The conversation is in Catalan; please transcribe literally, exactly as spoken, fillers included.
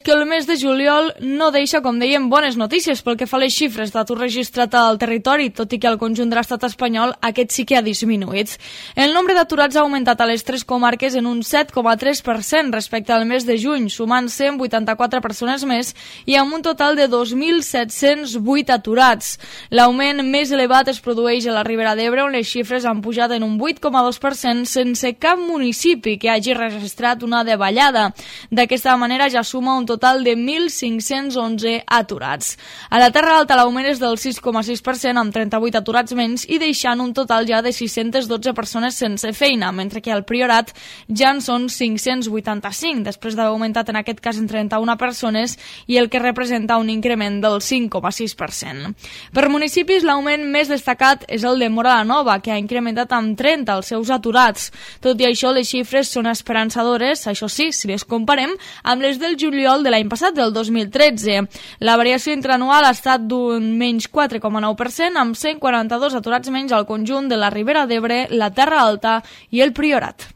Que el mes de juliol no deixa, com dèiem, bones notícies pel que fa a les xifres d'atur registrat al territori, tot i que al conjunt de l'estat espanyol aquest sí que ha disminuït. El nombre d'aturats ha augmentat a les tres comarques en un set coma tres per cent respecte al mes de juny, sumant cent vuitanta-quatre persones més i amb un total de dos mil set-cents vuit aturats. L'augment més elevat es produeix a la Ribera d'Ebre, on les xifres han pujat en un vuit coma dos per cent sense cap municipi que hagi registrat una davallada. D'aquesta manera ja suma un total de mil cinc-cents onze aturats. A la Terra Alta l'augment és del sis coma sis per cent amb trenta-vuit aturats menys i deixant un total ja de sis-centes dotze persones sense feina, mentre que al Priorat ja en són cinc-cents vuitanta-cinc, després d'haver augmentat en aquest cas en trenta-una persones i el que representa un increment del cinc coma sis per cent. Per municipis l'augment més destacat és el de Móra la Nova, que ha incrementat amb trenta els seus aturats. Tot i això, les xifres són esperançadores, això sí, si les comparem amb les del juliol de l'any passat, del dos mil tretze. La variació interanual ha estat d'un menys quatre coma nou per cent, amb cent quaranta-dos aturats menys al conjunt de la Ribera d'Ebre, la Terra Alta i el Priorat.